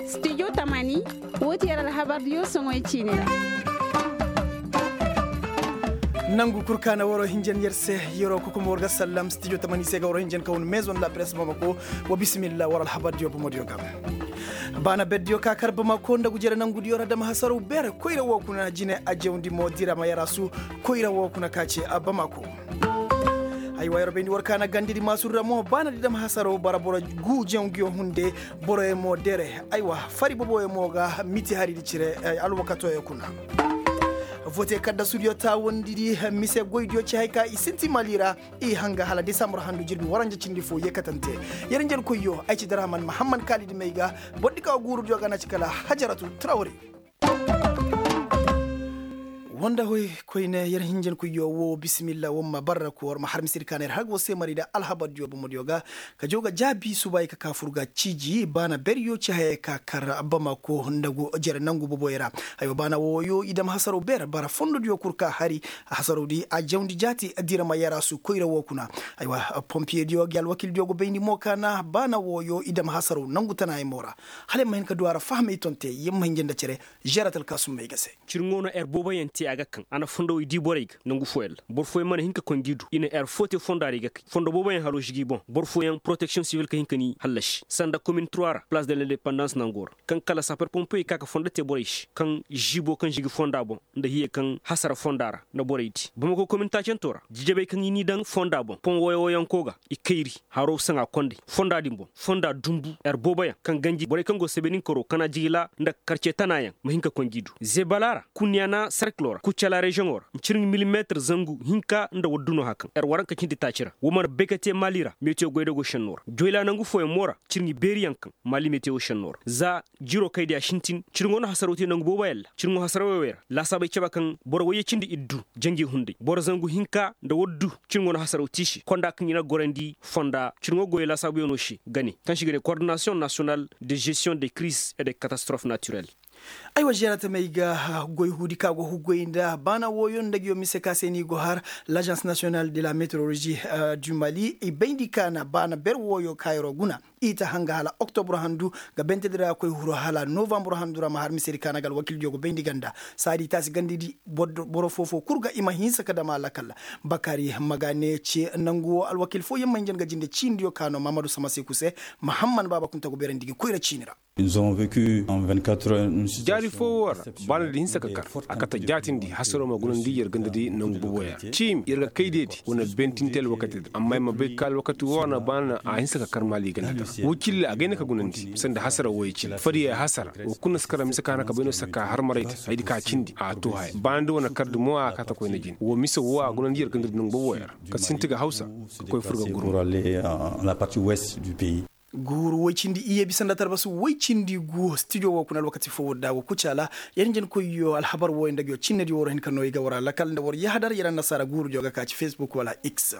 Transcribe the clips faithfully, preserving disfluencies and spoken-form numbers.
Studio tamani, wo ti yer alhabardiyo soŋoy ciini ra. Nangu kul ka na waroo hinjan yer se, yeroo kokomo war ga sallam studio tamani se ga waroo hinjan ka hun maison de la presse bamako. Wa bisimilla war alhabardiyo bomodiyo ga. Baana berdiyo ka kar bamako nda gujere nangudiyo ra dama hasaraw beere koyra woo kuna jine a jawndi mo dira ma yarasu. Koyra woo kuna ka ce a bamako. Aywa yer bayndi war ka na gandidi maasur ra mo baana di dama hasaraw bara boro guu janguyo hunde. Boroyo mo dere aywa fari boboyo mo ga miti haridi cire. Alwakatoyo kuna. Vote kaddasudiyo taawandidi mise goydiyo ci hay ka i sinti mali ra. I hanga hala desambur handu jirbi waranja cindi fo yeekatante. Yer njenkoyyo ay ci daraman mahamman kaalidi may ga. Bordi ka guurudiyo ga na ci kala hajaratu trawre. Wanda hoy koyne yer hinjankoyyo wo bisimilla wamma barra ko war ma har misir ka na yer har go se mari da alhabardiyo bomodiyo ga. Ka jaw ga jaabi suba i ka ka fur ga ciiji baana beryo ci hayey ka kar bamako nda go jere nangu boboy ra. Hayoo baana wooyo i dam hasaro beer bara fondodiyo kul ka hari. Hasarodi a jawndi jaati dira ma yarasu koyra woo kuna. Haywa pompiyediyo gi alwakildiyo go bayndi mo ka na baana wooyo i dam hasaro nangu tanaayey mo ra. Hala yer ma hin ka du a ra fahamey tonte yer ma hin janda cere. Žerat alkaasummey ga se. Cirŋo no er booboyaŋ te a ga kaŋ a na fondowey di borey ga nangu fooyaŋ ra boro fooyaŋ mana hin ka koy ngi du i na er foo te fondo a ra i ga kay fondo booboyaŋ haro žigi boŋ boro fooyaŋ poroteksiyoŋ sivil ka hin ka ni hallasi sanda komin trois ra palaas de lindepandans nango ra. Kaŋ kala saper pompey ka ka fondo te borey se kaŋ žibo kaŋ žigi fonda boŋ nda hiyey kaŋ hasara fonda ra nda borey di bamako komin taacanto ra jijabey kaŋ i n'i daŋ fonda boŋ pon woyo woyanko ga i kayri haro saŋa kondey fonda din boŋ fonda dunbu er booboyaŋ kaŋ ganji borey kaŋ go sebeninkaro kana jigila nda karce tanayaŋ ma hin ka koy ngi du zebala ra kunyana serkilo ra kucala reziyoŋo ra ncirŋi milimetir zangu hinka nda waddu no hakaŋ er waranka cindi taaci ra wo mana bay ka te maali ra metiyo goydago šenno ra joyla nangu fooyaŋ mo ra cirŋi beeriyaŋ kaŋ maali metiyo šenno ra za jiro kay diya sintin cirŋo no hasaraw te nangu booboyaŋ ra cirŋo hasaraw wey ra laasaabey caba kaŋ boro wayye cindi iddu jangi hunday boro zangu hinka nda waddu cirŋo no hasaraw te i se konda kaŋ i na gorandi fonda cirŋo goyey laasaabuyaŋo se gane kaŋ se i ga ne kordinasiyoŋ nasiyonal de žestiyoŋ de kiriz e de katastrof natirel. Ay wa žeeratamey ga goy huudi ka go hugoy nda baana wooyo nda nguyo mise ka se ni go har lajans nasiyonal de la meteorolozi du mali i bayndi ka na baana ber wooyo kaayaroo guna i ta hanga hala oktobur handu ga bentedi ra ga koy huru hala novambur handu ra ma har misedi ka na ga alwakildiyo go bayndi ganda saadi taasi gandidi boro foofoo kul ga i ma hinsa ka dama lakal. Bakari magane ce nangu woo alwakil fooyaŋ ma hinjan ga jinde ciinidiyo ka no mahamadu samasiku se. Mahamman baaba kunta go beerandi gi koyra ciini ra. Jaari foo woo ra baana di hinsa ka kar a kate jaatindi hasaroo ma gunandi yer gandadi nangu boboya ciimi yer ga kay deedi wane bentinte alwakatidi amma yer ma bay ka alwakati woo ra na baana a hinsa ka kar maali gandadi ra woo cille a gayna ka gunandi sanda hasara wooyey cine fadiyey hasara woo kul na si kar ra mise ka na ka bay no saka harmarayte hayadi ka cindi a too haya baana di wane kardi mo a kate koyne jine woo mise woo a gunandi yer gandadi nangu boboya ra ka sinti ga hawsa ka koy fur ga gurma. Guuru woy cindi iyye bisa nda tarbasu woy cindi gu stijo woo kuna alwakati foo woo da go kucaala. Yer njenkoyyo alhabar wooyo nda nguyo cinnediyo war hin ka noo i ga war alakal nda war yahadar yer annasaara guurudiyo ga ka ci facebook wala x.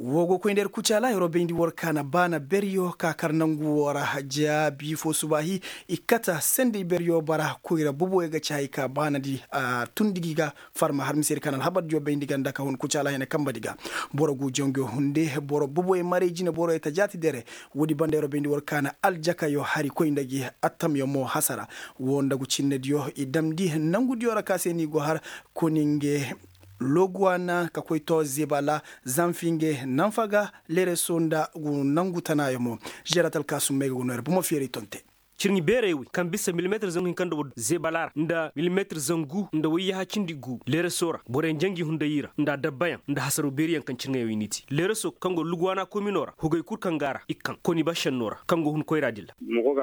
Woo go koy nda yer kucaala yeroo bayndi war kaana baana beryo ka kar nangu woo ra jaabi foo subaahi i kata sendey beryo bara koyra boboyo ga ci hay ka baanadi a tundi gi ga farma har misedi ka na alhabardiyo bayndi ganda ka hun kucaala hene kambadi ga. Boro guu janguyo hunde boro boboyo maray jine boroyo ta jaati dere. Woodi banda yeroo bayndi war ka na aljakayo hari koy nda gi attamyo mo hasara. Woo nda gu cinnediyo i damndi nangudiyo ra ka se ni go har koninge loguwana ka koy too zebala zanfinge nanfaga lereso nda gu nangu tanaayo mo. Žerat alkaasummey ga gu no yer bomo feeray tonte. Cirŋi beerey wey kaŋ bisa milimetir zangu hinka nda waddu zebala ra nda milimetir zangu nda wayyaha cindi gu lereso ra boroyaŋ jangi hunday i ra nda adabbayaŋ nda hasaraw beeriyaŋ kaŋ cirŋey wey n'i te lereso kaŋ go luguwana komino ra hugey kul kaŋ ga a ra i kaŋ koni ba šenno ra kaŋ go hun koyra dilla.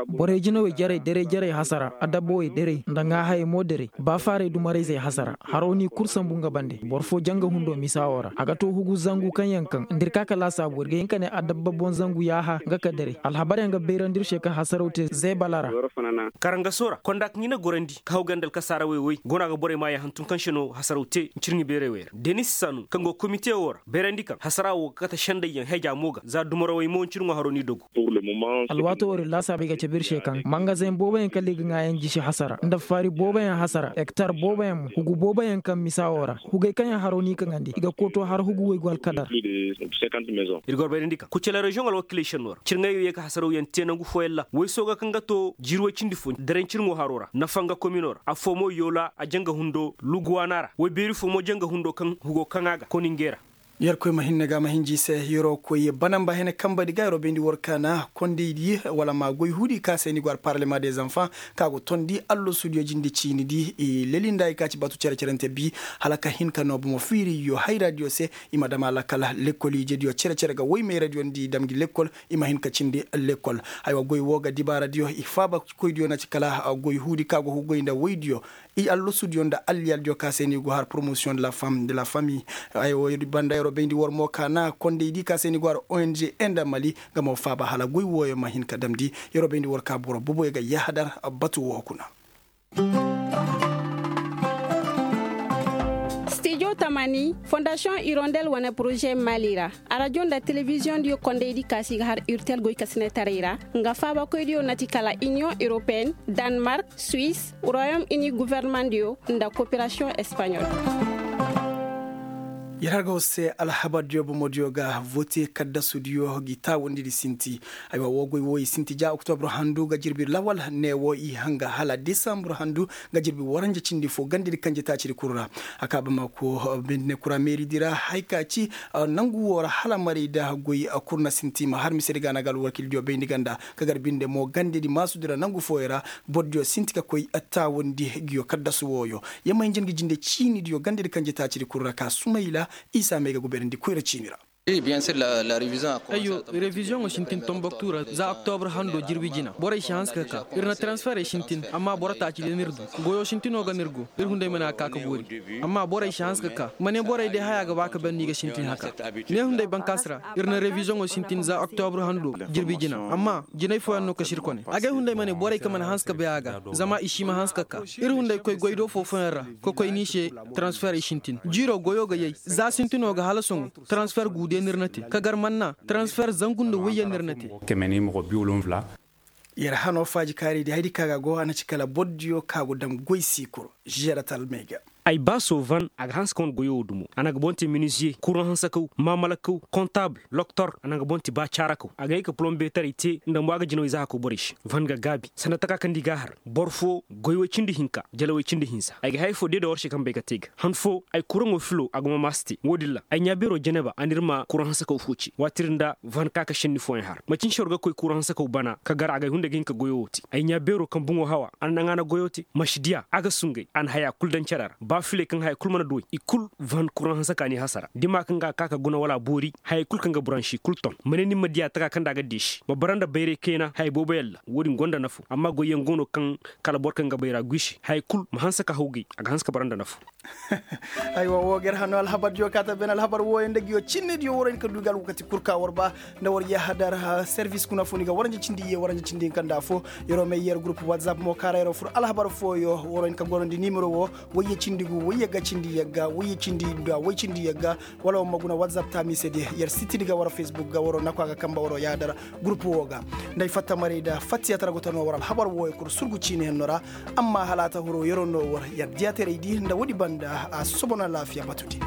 Borey jinawey jarey derey jarey hasara adabbawey derey nda ŋaahayey mo derey baafaaray dumarayzey hasara haro n'i kul sambu nga bande boro foo janga hundo misa woo ra a ga too hugu zangu kaŋ yaŋ kaŋ nda ir ka ka laasaabu ir ga hin ka ne adabba boŋ zangu yaaha nga ka derey alhabaryaŋ ga bayrandi ir se kaŋ hasaraw te zeeba. Karangaso ra konda kaŋ i na gorandi ka haw ganda alkasaarawey wey go no a ga borey maayaŋ hantum kaŋ se no hasaraw te ncirŋi beerey wey ra denis sanu kaŋ go komite wo ra bayrandi kaŋ hasara wo ga kate sendayyaŋ heja mo ga za dumarawey mo ncirŋo haro n'i dogu. Alwaato wo din laasaabey ga cabe ir se kaŋ mangazeŋ booboyaŋ kala i ga ŋaayan jisi hasara nda faari booboyaŋ hasara hektar booboyaŋ mo hugu booboyaŋ kaŋ misa wo ra hugey kaŋ yaŋ haro n'i kaŋandi i ga kooto har hugu waygu alkadar. Ir ga war bayrandi kaŋ kucala reziyoŋ alwakiiley senno ra cirŋayo ye ka hasarawyaŋ te nangu fooyaŋ ra woy sooga kaŋ ga to jiiri woy cindi fo daray cirŋo haro ra nafa nga komino ra affoo mo yoola a janga hundo luguwaana ra woy beeri fo mo janga hundo kaŋ hugo kaŋ a ga koninge ra. Yerkoy ma hinne ga ma hinji se yeroo koy banamba hene kambadi ga yeroo bayndi war kaana kondaydi wala ma goy huudi ka se ni go har parlement des enfants ka go tondi allosudiyo jinde ciinidi i leli nda i ka ci batu cere-cerente bi hala ka hin ka no bomo fiiriyo hayradiyo se i ma dam a lakal lekkol ijediyo cere-cere ga woy mayradiyo nda i dam gi lekkol i ma hin ka cindi lekkol. Haywa goy woo ga dibaaradiyo i faaba koydiyo na ci kala goy huudi ka go goy nda woydiyo i allosudiyo nda alliyaldiyo ka se no i go har promosiyoŋ de la femme de la famille. Haywa banda yeroo bayndi war mo ka na kondaydi ka se no i go har ong nda mali nga mo faaba hala goy wooyo ma hin ka damndi. Yeroo bayndi war ka boro boboyo ga yahadar batu woo kuna. Stijo tamani fondasiyoŋ irondel wane poroze mali ra arajo nda telebiziyoŋ diyo kondaydi ka si ga har irtel goy ka sinetaray ra nga faabakoydiyo na ti kala iniyoŋ europeen, danmark, suwis, royom ini guvernemandiyo nda koperasiyoŋ espaɲol. Yer har ga war se alhabardiyo bomodiyo ga vote kaddasudiyo gi taawandi di sinti. Aywa woo goy woo i sinti ja oktobro handu ga jirbi lawal ne woo i hanga hala desambur handu ga jirbi waranja cindi fo gandadi kanje taacidi kul ra. A ka bamako bindine kura meeridi ra hay ka ci nangu woo ra hala maray da goy kul na sinti ma har misedi ga na ga alwakildiyo bayndi ganda ka gar binde mo gandadi maasudi ra nangu fooyo ra. Bordiyo sinti ka koy taawandi nguyo kaddasu wooyo. Yamma hinja ngi jinde ciinidiyo gandadi kanje taacidi kul ra ka sumayla isa may ga guberandi koyra ciini ra. Ayyo, reviziyoŋo sintin tomboktu ra za oktobre hando jirbi jina borey si hanse ka ka ir na transferey sintin amma boro taaci ga n'ir du. Goyo sintinoo ga n'ir go ir hunday ma ne a ga ka ka boori. Amma borey si hanse ka ka ma ne borey day haya ga ba ka ban no i ga sintin haka. Ne hunday bankaasi ra ir na reviziyoŋo sintin za oktobre hando jirbi jina amma jinay fooyaŋ no kasi ir kone agay hunday ma ne borey ka mana hanse ka bay a ga. Zama i si ma hanse ka ka ir hunday koy goy do foofoyaŋ ra ka koy n'i se. Transferey sintin jiiroo goyoo ga yay za sintinoo ga hala sohõ. Transfer guudiyaŋ ir na te ka gar manna transfer zangu nda woyyaŋ ir na te. Yer hanoo faaji kaaridi haydi ka ga go a na ci kala bordiyo ka go daŋ goy siikuro. Žeratal may ga. Ay ba soo van a ga hanse ka wane goyoo wo dumo a na ga boŋ te minisiye kuraŋ hansakaw maamalakaw kontabul loktor a na ga boŋ te ba caarakaw a ga hay ka pulombeetaray te nda mo a ga jinawey za hakoo borey se. Van ga gaabi sanda taka kaŋ nda i g'a har boro foo goy woy cindi hinka jala woy cindi hinsa ay ga haya foo deeda war se kaŋ bay ga te ga han foo ay kuraŋo filo a ga mamaasi te wo-din ra ay ɲaa beeroo jeneba a n'ir ma kuraŋ hansakaw foo ce waati ir nda van ka ka šenni fooyaŋ har macin se war ga koy kuraŋ hansakaw bana ka gar a ga ay hunday ga hin ka goyoo wo te ay ɲaa beeroo kaŋ buŋo hawa a na naŋ a na goyoo te masidiya a ga sungay a na hayaa kul daŋ cere ra ba filey kaŋ haya kul mana du way i kul van kuraŋ hansaka n'i hasara da i ma kaŋ ga a ka ka guna wala a boori hayey kul kaŋ ga buransi kul ton ma ne ni ma diya taka kaŋ nda a ga deesi ma bara nda bayray kayna haya booboyaŋ ra wo-din gonda nafo amma goyyaŋ go no kaŋ kala boro kaŋ ga bayra guy se hayey kul ma hanse ka hawgay a ga hanse ka bara nda nafo. Aywa woo ga ir hano alhabardiyo kaata bene alhabar wooyo nda nguyo cinnediyo war hin ka du ga alwakati kul ka war ba nda war yahadar servis kuna fo ni ga waranja cindi iyye waranja cindi hinka nda afo. Yeroo may yer gurup watsap mo kaara yeroo fur alhabar fooyo war hin ka gorandi nimero woo wayye cindi gu wayye ga cindi yagga wayye cindi nda way cindi yagga wala war ma guna watsap taamiisediyo yer sitidi ga war fesbuk ga waroo naku a ga kamba waroo yahadar gurup woo ga. Nda ay fatta maray nda fattiya tara go ta no war alhabar wooyo kul surgu ciini henno ra. Amma hala a ta huro yeroo no war yer diyaataray di nda woodi banda a sosobona alaafiya batudi.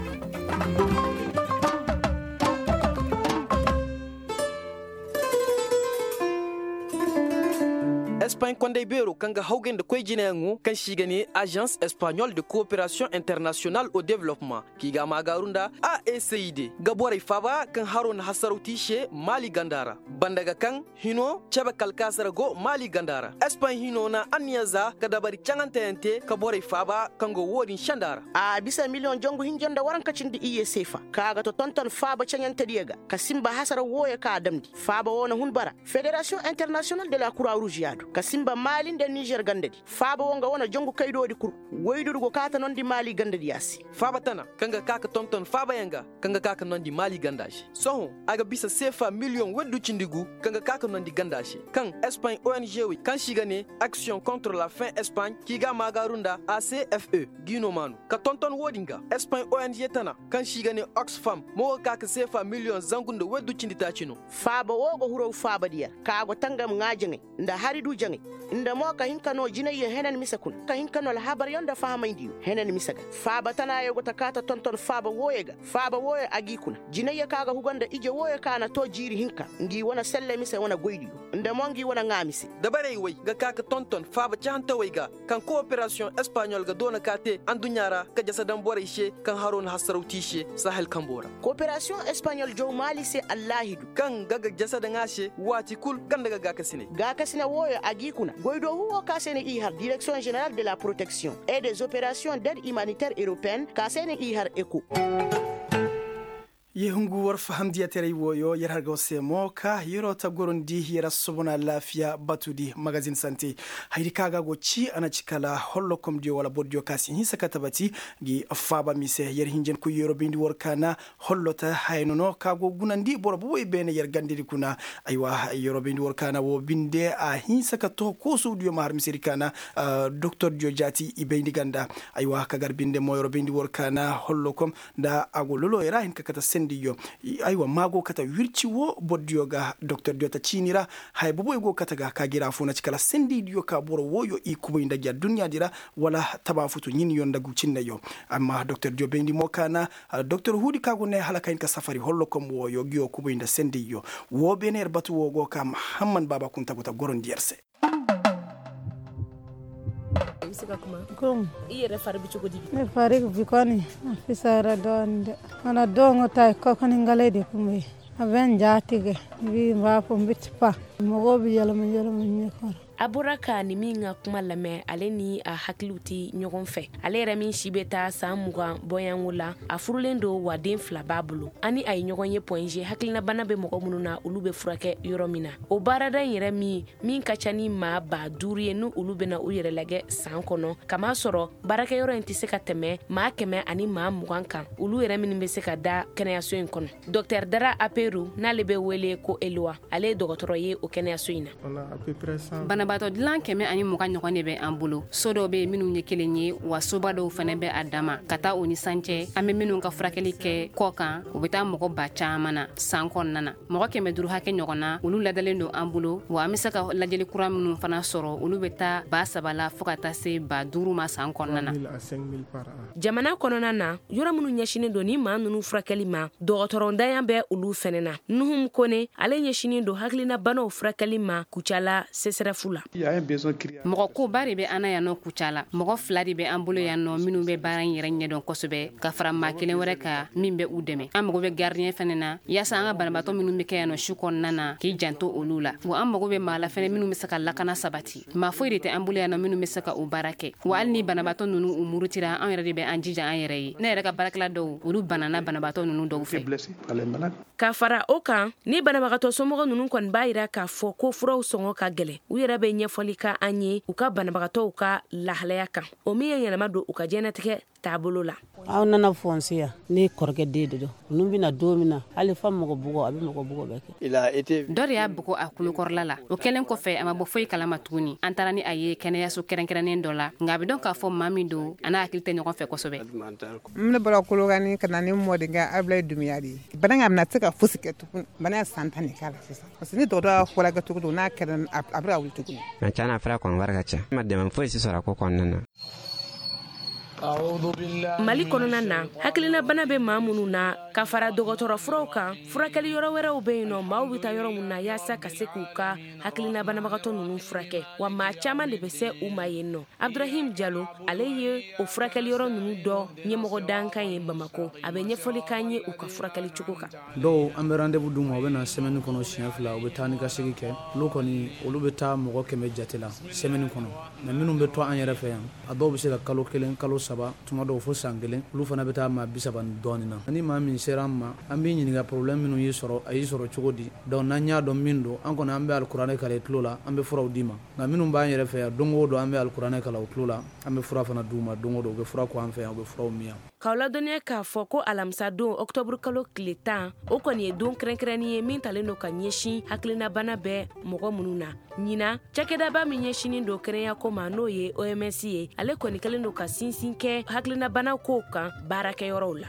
Espaɲ konday beeroo kaŋ ga hawgay nda koy jinayaŋo kaŋ se i ga ne azans espaɲol de kooperasiyoŋ internasiyonal o developpeman k'i ga a maagaaru nda a e c i d ga borey faaba kaŋ haroo na hasaraw te i se maali ganda ra. Banda ga kaŋ hino cebe kalkaasi ra go maali ganda ra. Espaɲ hino na anniya za ka dabari caŋanteyaŋ te ka borey faaba kaŋ go wo-din senda ra. A bisa miliyoŋ jangu hinja nda waranka cindi iyye seefa kaŋ a ga to tonton faaba caɲantediyo ga ka sinba hasara wooyo kaŋ a damndi faaba woo na hun bara. Federasiyoŋ internasiyonal de la kura ruuz yaadu. ka sinba maali nda nizer gandadi. Faaba wo nga wane jongu kaydoodi kul. Woydudu go kaata nondi maali gandadiya se. Faaba tana kaŋ ga ka ka tonton faabayaŋ ga, kaŋ ga ka ka nondi maali ganda se. Sohõ a ga bisa seefa miliyoŋ woydu cindi gu, kaŋ ga ka ka nondi ganda se, kaŋ espagne ong wey kaŋ se i ga ne action contre la fin espagne k'i ga a maagaaru nda a c f e. G'i no maanu ka tonton wo-din ga espagne ong tana, kaŋ se i ga ne oxfam mo ga ka ka seefa miliyoŋ zangu nda woydu cindi taaci no. Faaba wo ga huraw faaba di yer ka a go tangam ŋaa jaŋay nda hari du jaŋay, nda mo ka hin ka no jinayyo henan mise kuna ka hin ka no alhabaryo nda fahamaydiyo henan mise ga. Faaba tanayo go ta kaata tonton faaba wooyo ga. Faaba wooyo a g'i kuna jinayyo ka ga huga nda ije wooyo ka na to jiiri hinka, ngi wane selle mise wane goydiyo, nda mo ngi wane ŋaa mise. Dabarey wey ga ka ka tonton faaba cahantawey ga, kaŋ kooperasiyoŋ espaɲol ga doona ka te adduɲɲa ra ka jasa daŋ borey se, kaŋ haro na hasaraw te i se sahel kambo ra. Kooperasiyoŋ espaɲol jaw maali se allaahidu, kaŋ ga ga jasa daŋ a se waati kul ganda ga gaakasiney. Gaakasine wooyo a g'i kuna goydoohu wo ka se na i har direksiyoŋ ženeral de la poroteksiyoŋ et des operasiyoŋ ded imaniter europeen ka se na i har eko. Ye hungu war fahamdiyateray wooyo yer har ga war se mo ka yeroo ta gorandi yer assobon alaafiya batudi magazin sante. Hayadi ka ga go ci a na ci kala hollokomdiyo wala bordiyo ka si hinsa ka tabati. Ngi faaba mise yer hinjankoy yeroo bayndi war kaana hollota hayano no ka go gunandi boro bobey beene yer gandedi kuna. Aywa yeroo bayndi war kaana woo binde a hinsa ka too koosowdiyo ma har misedi kaana doktordiyo jaati i bayndi ganda. Aywa ka gar binde mo yeroo bayndi war kaana hollokom nda a go lolooyo ra hin ka kate sendiyyo. Aywa maa go kate wirci woo bordiyo ga doktordiyo ta ciini ra. Haya boboyo go kate ga ka g'i ra foo na ci kala sendiydiyo ka boro wooyo i kubay nda gi adduɲɲaadi ra wala tabaafutu ɲinyo nda gu cinneyo. Amma doktordiyo bayndi mo ka na doktor huudi ka go ne hala ka hin ka safari hollokom wooyo ngiyo kubay nda sendiyyo. Woo beene yer batu woo go ka mahamman baaba kunta go ta gorandi yer se. Iri fari ga bi koni a fisa ra dooni de. Wana doŋo ta i koy kani nga lay de kumay. A ben jaati ga bi mba fo mbiti pa. Mogo bi yalama yalama ɲe koro. Abura ka ni mi ŋa kuma lame ale ni a hakiliw ti ɲogon fe. Ale ra min si be ta san mugan boyaŋo la. A furulen do wa den fila b'a bolo. Ani a ye ɲogon ye poinze hakilina bana be mogo munu na olu be furake yoro min na. O baara da yere mi min ka ca ni maa ba duuru ye ni olu bɛna u yɛrɛ lajɛ san kɔnɔ, kamasɔrɔ baarakɛyɔrɔ in tɛ se ka tɛmɛ maa kɛmɛ ani maa mugan kan, olu yɛrɛ minnu bɛ se ka da kɛnɛyaso in kɔnɔ. Docteur Dara Aperu, n'ale bɛ wele ko Elwa, ale ye dɔgɔtɔrɔ ye o kɛnɛyaso in na. Banabaatɔ dilan kɛmɛ ani mugan ɲɔgɔn de bɛ an bolo. So dɔw bɛ yen minnu ye kelen ye, wa soba dɔw fana bɛ a dama. Ka taa o ni san cɛ, an bɛ minnu ka furakɛli kɛ kɔ kan, u bɛ taa mɔgɔ ba caman na san kɔnɔna na. Mɔgɔ kɛmɛ duuru hakɛ ɲɔgɔn na, olu ladalen don an bolo, wa an bɛ se ka lajɛli kura minnu fana sɔrɔ, olu bɛ taa ba saba la fo ka taa se ba duuru ma san kɔnɔna na. Jamana kɔnɔna na, yɔrɔ minnu ɲɛsinnen don ni maa ninnu furakɛli ma, dɔgɔtɔrɔndanya bɛ olu fɛnɛ na. Nuhum Kone, ale ɲɛsinnen don hakilinabanaw furakɛli ma Kucala sesɛrɛfu la. Mɔgɔ koba de bɛ an na yan nɔ Kucala. Mɔgɔ fila de bɛ an bolo yan nɔ minnu bɛ baara in yɛrɛ ɲɛdɔn kosɛbɛ, ka fara maa kelen wɛrɛ kan min bɛ u dɛmɛ. An mago bɛ gardien fana na, yaasa an ka banabaatɔ minnu bɛ kɛ yan nɔ su kɔnɔna na, k'i janto olu la. Wa an mago bɛ maa la fana minnu bɛ se ka lakana sabati. Maa foyi de tɛ an bolo yan nɔ minnu bɛ se ka o baara kɛ. Wa hali ni banabaatɔ ninnu u murutira, an yɛrɛ de bɛ an jija an yɛrɛ ye. Ne yɛrɛ ka baarakɛla dɔw, olu banana banabaatɔ ninnu dɔw fɛ. Ka fara o kan, ni banabagatɔ somɔgɔ ninnu kɔni b'a jira k'a fɔ ko furaw sɔngɔ ka gɛlɛn, u yɛrɛ bɛ ɲɛfɔli kɛ an ye u ka banabagatɔw ka lahalaya kan, o min ye yɛlɛma don u ka diɲɛnatigɛ taabolo la. Aw nana fɔ n se yan, ne kɔrɔkɛ den de don, ninnu bɛna don min na, hali fa mɔgɔ bugɔ, a bɛ mɔgɔ bugɔ bɛɛ kɛ. Dɔ de y'a bugo a kulukɔrɔla la. O kɛlen kɔfɛ, a ma bɔ foyi kalama tuguni. An taara ni a ye kɛnɛyaso kɛrɛnkɛrɛnnen dɔ la, nka a bɛ dɔn k'a fɔ maa min don, a n'a hakili tɛ ɲɔgɔn fɛ kosɛbɛ. N bɔra Kolokani ka na ni mɔdenkɛ Abulayi Dunbiya de ye. Bana in, a bɛna se ka fosi kɛ tugun. Bana in san tan de k'a la sisan. Parce que ni dɔgɔtɔrɔ y'a furakɛ cogo o cogo, n'a kɛra, a bɛ ka wuli tuguni. Nka tiɲɛ na, a fura kɔni wari ka ca. N ma dɛmɛ foyi si sɔrɔ a ko kɔnɔna na. Mali kɔnɔna na, hakilinabana bɛ maa minnu na, ka fara dɔgɔtɔrɔ furaw kan, furakɛli yɔrɔ wɛrɛw bɛ yen nɔ, maaw bɛ taa yɔrɔ minnu na, yaasa ka se k'u ka hakilinabanabagatɔ ninnu furakɛ, wa maa caman de bɛ se u ma yen nɔ. Abdurahim Jalo, ale ye o furakɛli yɔrɔ ninnu dɔ ɲɛmɔgɔ dankan ye Bamako. A bɛ ɲɛfɔli k'an ye u ka furakɛli cogo kan. Dɔw, an bɛ rendez-vous d'u ma, u bɛ na semaine kɔnɔ siɲɛ fila, u bɛ taa ni ka segin kɛ. Olu kɔni, olu bɛ taa mɔgɔ kɛmɛ jate la semaine kɔnɔ. Mais minnu bɛ to an yɛrɛ fɛ yan, a dɔw bɛ se ka kalo kelen, kalo saba. saba tuma dɔw fo san kelen, olu fana bɛ taa maa bi saba ni dɔɔni na. Ni maa min sera an ma, an b'i ɲininka porobilɛmu minnu y'i sɔrɔ, a y'i sɔrɔ cogo di? Donc n'an y'a dɔn min don, an kɔni an bɛ alikuranɛ kalan i tulo la, an bɛ furaw d'i ma. Nka minnu b'an yɛrɛ fɛ yan, don o don an bɛ alikuranɛ kalan u tulo la, an bɛ fura fana d'u ma don o don, u bɛ fura ko an fɛ yan, u bɛ furaw min yan. K'aw ladɔnniya k'a fɔ ko alamisadon, ɔkutɔburukalo tile tan, o kɔni ye don kɛrɛnkɛrɛnnen ye min talen don ka ɲɛsin hakilinabana bɛ mɔgɔ minnu na. Ɲinan, cakɛdaba min ɲɛsinnen don kɛnɛyako ma, n'o ye O M S ye, ale kɔni kɛlen don ka sinsin kɛ hakilinabana kow kan baarakɛyɔrɔw la.